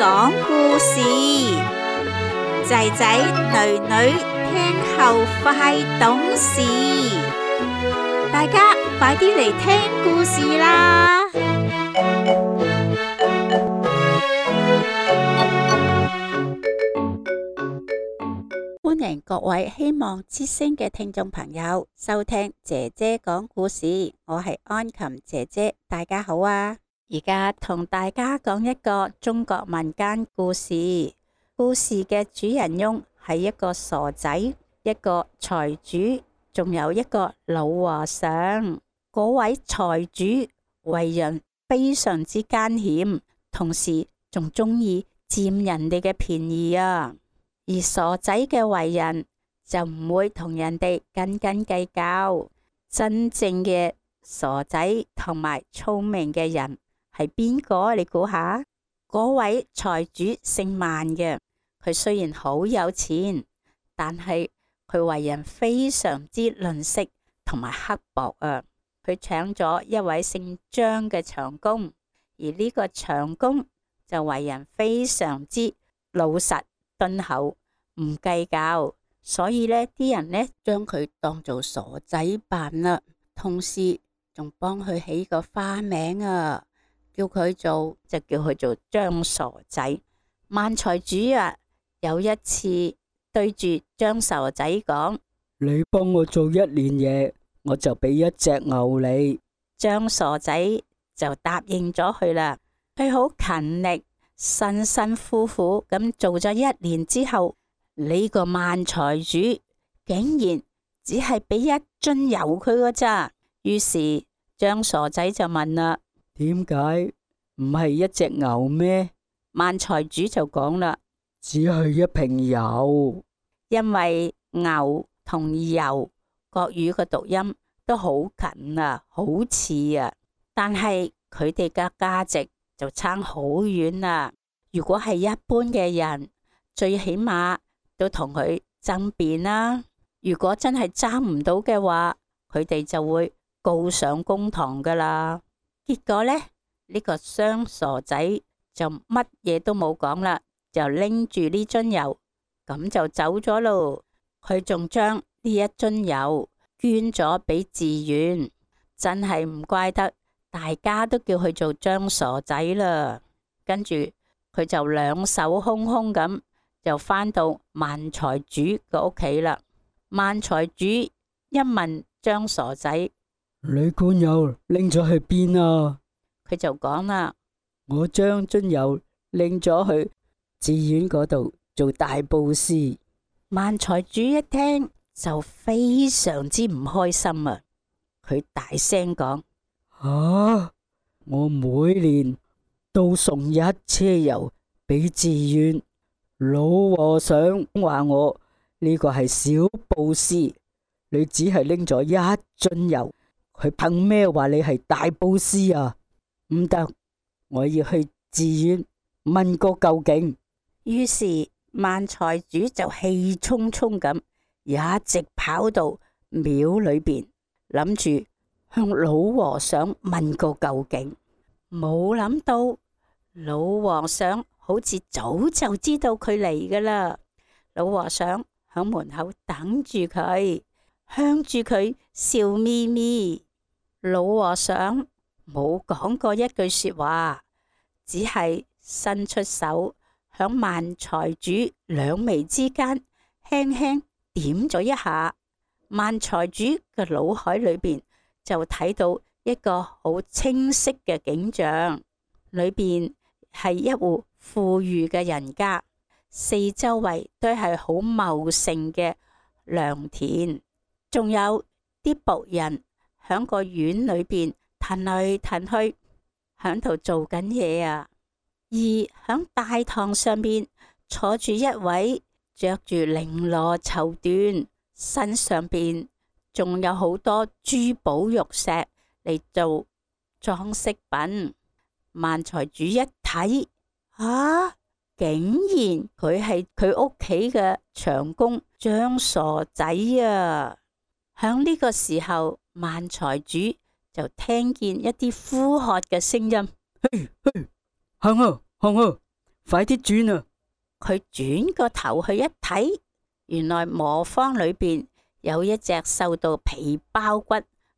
講故事，仔仔女女聽後快懂事，大家快啲嚟聽故事啦！歡迎各位希望之聲嘅聽眾朋友收聽姐姐講故事，我係安琴姐姐，大家好啊！而家同大家講一個中國民間故事，故事嘅主人翁係一個傻仔，一個財主，仲有一個老和尚。嗰位財主為人非常之奸險，同時仲中意佔人哋嘅便宜啊！而傻仔嘅為人就唔會同人哋斤斤計較。真正嘅傻仔同埋聰明嘅人係邊個？你估下？嗰位財主姓萬嘅，佢雖然好有錢，但係佢為人非常之吝嗇同埋刻薄啊！佢請咗一位姓張嘅長工，而呢個長工就為人非常之老實敦厚，唔計較，所以呢啲人呢將佢當做傻仔辦啦，同時仲幫佢起個花名啊，叫佢做張傻仔。萬財主啊，有一次對住張傻仔講：你幫我做1年嘢，我就俾1隻牛你。張傻仔就答應咗佢啦。佢好勤力，辛辛苦苦咁做咗1年之後，呢個萬財主竟然只係俾1樽油佢㗎咋。於是張傻仔就問啦：點解唔係1隻牛咩？萬財主就講啦：只係1瓶油。因為牛同油國語嘅讀音都好近啊，好似啊，但係佢哋嘅價值就差好遠啦。如果係一般嘅人，最起碼都同佢爭辯啦。如果真係爭唔到嘅話，佢哋就會告上公堂噶啦。結果呢，呢個雙傻仔就乜嘢都冇講啦，就拎住呢樽油咁就走咗咯。佢仲將呢1樽油捐咗俾寺院，真係唔怪得大家都叫佢做張傻仔啦。跟住佢就兩手空空咁就返到萬財主嘅屋企啦。萬財主一問張傻仔：你罐油拎咗去邊啊？佢就講啦：我將樽油拎咗去寺院嗰度做大布施。萬財主一聽就非常之唔開心啊！佢大聲講：我每年都送1車油俾寺院，老和尚話我呢個係小布施，你只係拎咗1樽油，佢憑咩話你係大布施啊？唔得，我要去寺院問個究竟。於是萬財主就氣沖沖咁一直跑到廟裏邊，諗住向老和尚問個究竟。冇諗到老和尚好似早就知道佢嚟噶啦。老和尚喺門口等住佢，向住佢笑眯眯。老和尚冇講過一句說話，只係伸出手響萬財主兩眉之間輕輕點咗一下。萬財主嘅腦海裏邊就睇到一個好清晰嘅景象，裏邊係一戶富裕嘅人家，四周圍都係好茂盛嘅良田，仲有啲僕人響個院裏邊騰嚟騰去，響度做緊嘢啊。而響大堂上邊坐住一位着住綾羅綢緞，身上邊仲有好多珠寶玉石嚟做裝飾品。萬財主一睇，竟然佢係佢屋企嘅長工張傻仔啊！響呢個時候，萬財主就聽見一啲呼喝嘅聲音：嘿，行啊，快啲轉啊！佢轉個頭去一睇，原來磨坊裏邊有一隻瘦到皮包骨、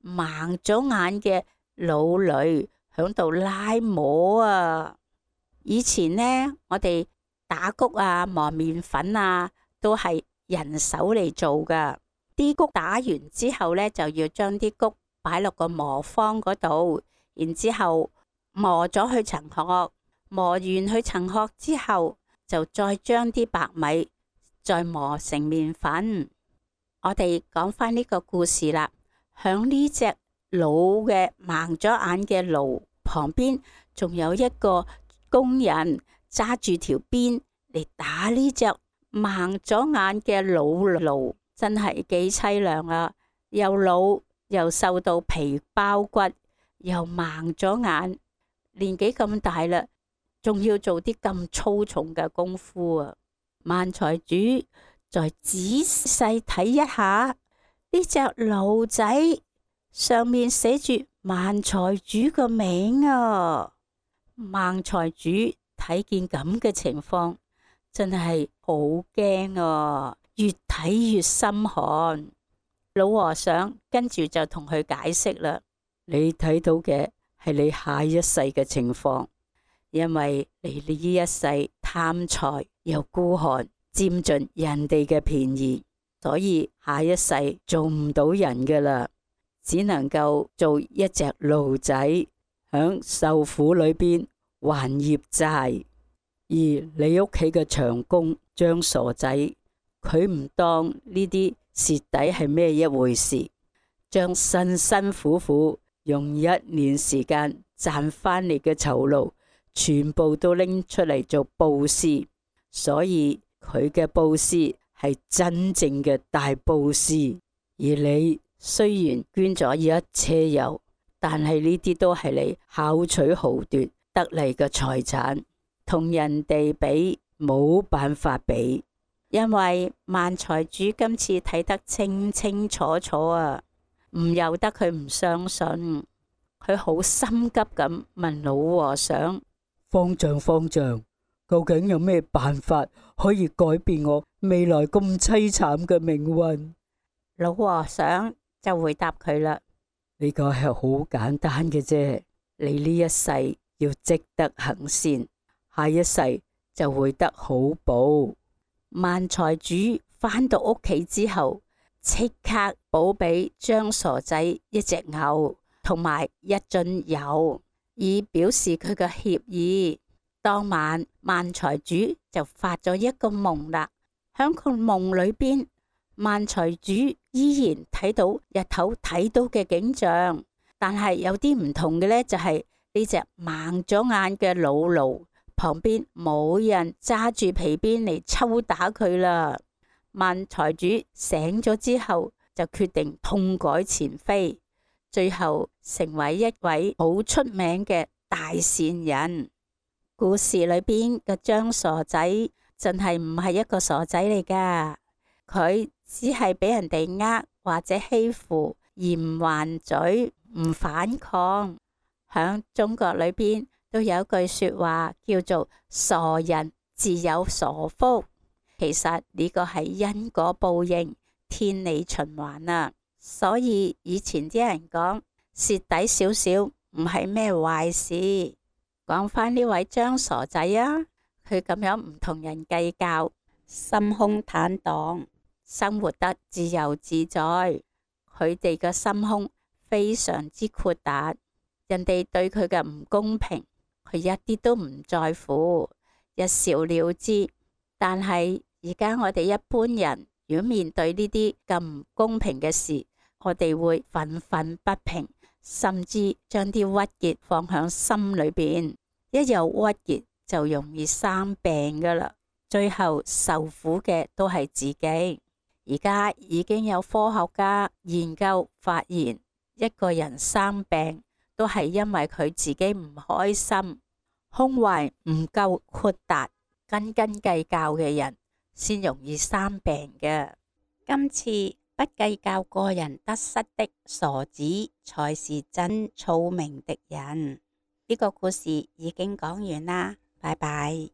盲咗眼嘅老驢響度拉磨啊！以前呢，我哋打穀啊、磨麵粉啊，都係人手嚟做噶。啲穀打完之後呢，就要將啲穀擺落個磨坊嗰度，然之後磨咗去層殼，磨完去層殼之後，就再將啲白米再磨成麵粉。我哋講翻呢個故事啦，響呢隻老嘅盲咗眼嘅驢旁邊，仲有一個工人揸住條鞭嚟打呢隻盲咗眼嘅老驢，真係幾淒涼啊！又老又瘦到皮包骨，又盲咗眼，年紀咁大啦，仲要做啲咁粗重嘅功夫啊！萬財主再仔細睇一下呢隻驢仔，上面寫住萬財主個名啊！萬財主睇見咁嘅情況，真係好驚啊！越睇越心寒。老和尚跟住就同佢解釋啦：你睇到嘅係你下一世嘅情況。因為你呢一世貪財又孤寒，佔盡人哋嘅便宜，所以下一世做唔到人噶啦，只能夠做一隻驢仔，響受苦裏邊還業債。而你屋企嘅長工張傻仔，佢唔當呢啲蝕底係咩一回事，將辛辛苦苦用1年時間賺翻嚟嘅酬勞，全部都拎出嚟做布施，所以佢嘅布施係真正嘅大布施。而你雖然捐咗一車油，但係呢啲都係你巧取豪奪得嚟嘅財產，同人哋比冇辦法比。因為萬財主今次睇得清清楚楚啊，唔由得佢唔相信，佢好心急咁問老和尚：方丈，究竟有咩辦法可以改變我未來咁淒慘嘅命運？老和尚就回答佢啦：呢個係好簡單嘅啫，你呢一世要積德行善，下一世就會得好報。萬財主返到屋企之後，即刻補俾張傻仔一隻牛同埋1樽油，以表示佢嘅歉意。當晚萬財主就發咗一個夢啦，響個夢裏邊，萬財主依然睇到日頭睇到嘅景象，但係有啲唔同嘅呢，就係呢隻盲咗眼嘅老驢旁邊冇人揸住皮鞭嚟抽打佢啦。萬財主醒咗之後，就決定痛改前非，最後成為一位好出名嘅大善人。故事裏邊嘅張傻仔真係唔係一個傻仔嚟噶，佢只係俾人哋呃或者欺負而唔還嘴、唔反抗。響中國裏邊都有句說話叫做傻人自有傻福，其實呢個係因果報應、天理循環啊。所以以前啲人講蝕底少少唔係咩壞事。講返呢位張傻仔啊，佢咁樣唔同人計較，心胸坦蕩，生活得自由自在。佢哋嘅心胸非常之闊達，人哋對佢嘅唔公平，佢一啲都唔在乎，一笑了之。但係而家我哋一般人，如果面對呢啲咁唔公平嘅事，我哋會憤憤不平，甚至將啲鬱結放響心裏邊。一有鬱結就容易生病噶啦，最後受苦嘅都係自己。而家已經有科學家研究發現，一個人生病都係因為佢自己唔開心，胸懷唔夠闊達，斤斤計較嘅人先容易生病嘅。今次不計較個人得失的傻子，才是真聰明的人。呢個故事已經講完啦。拜拜。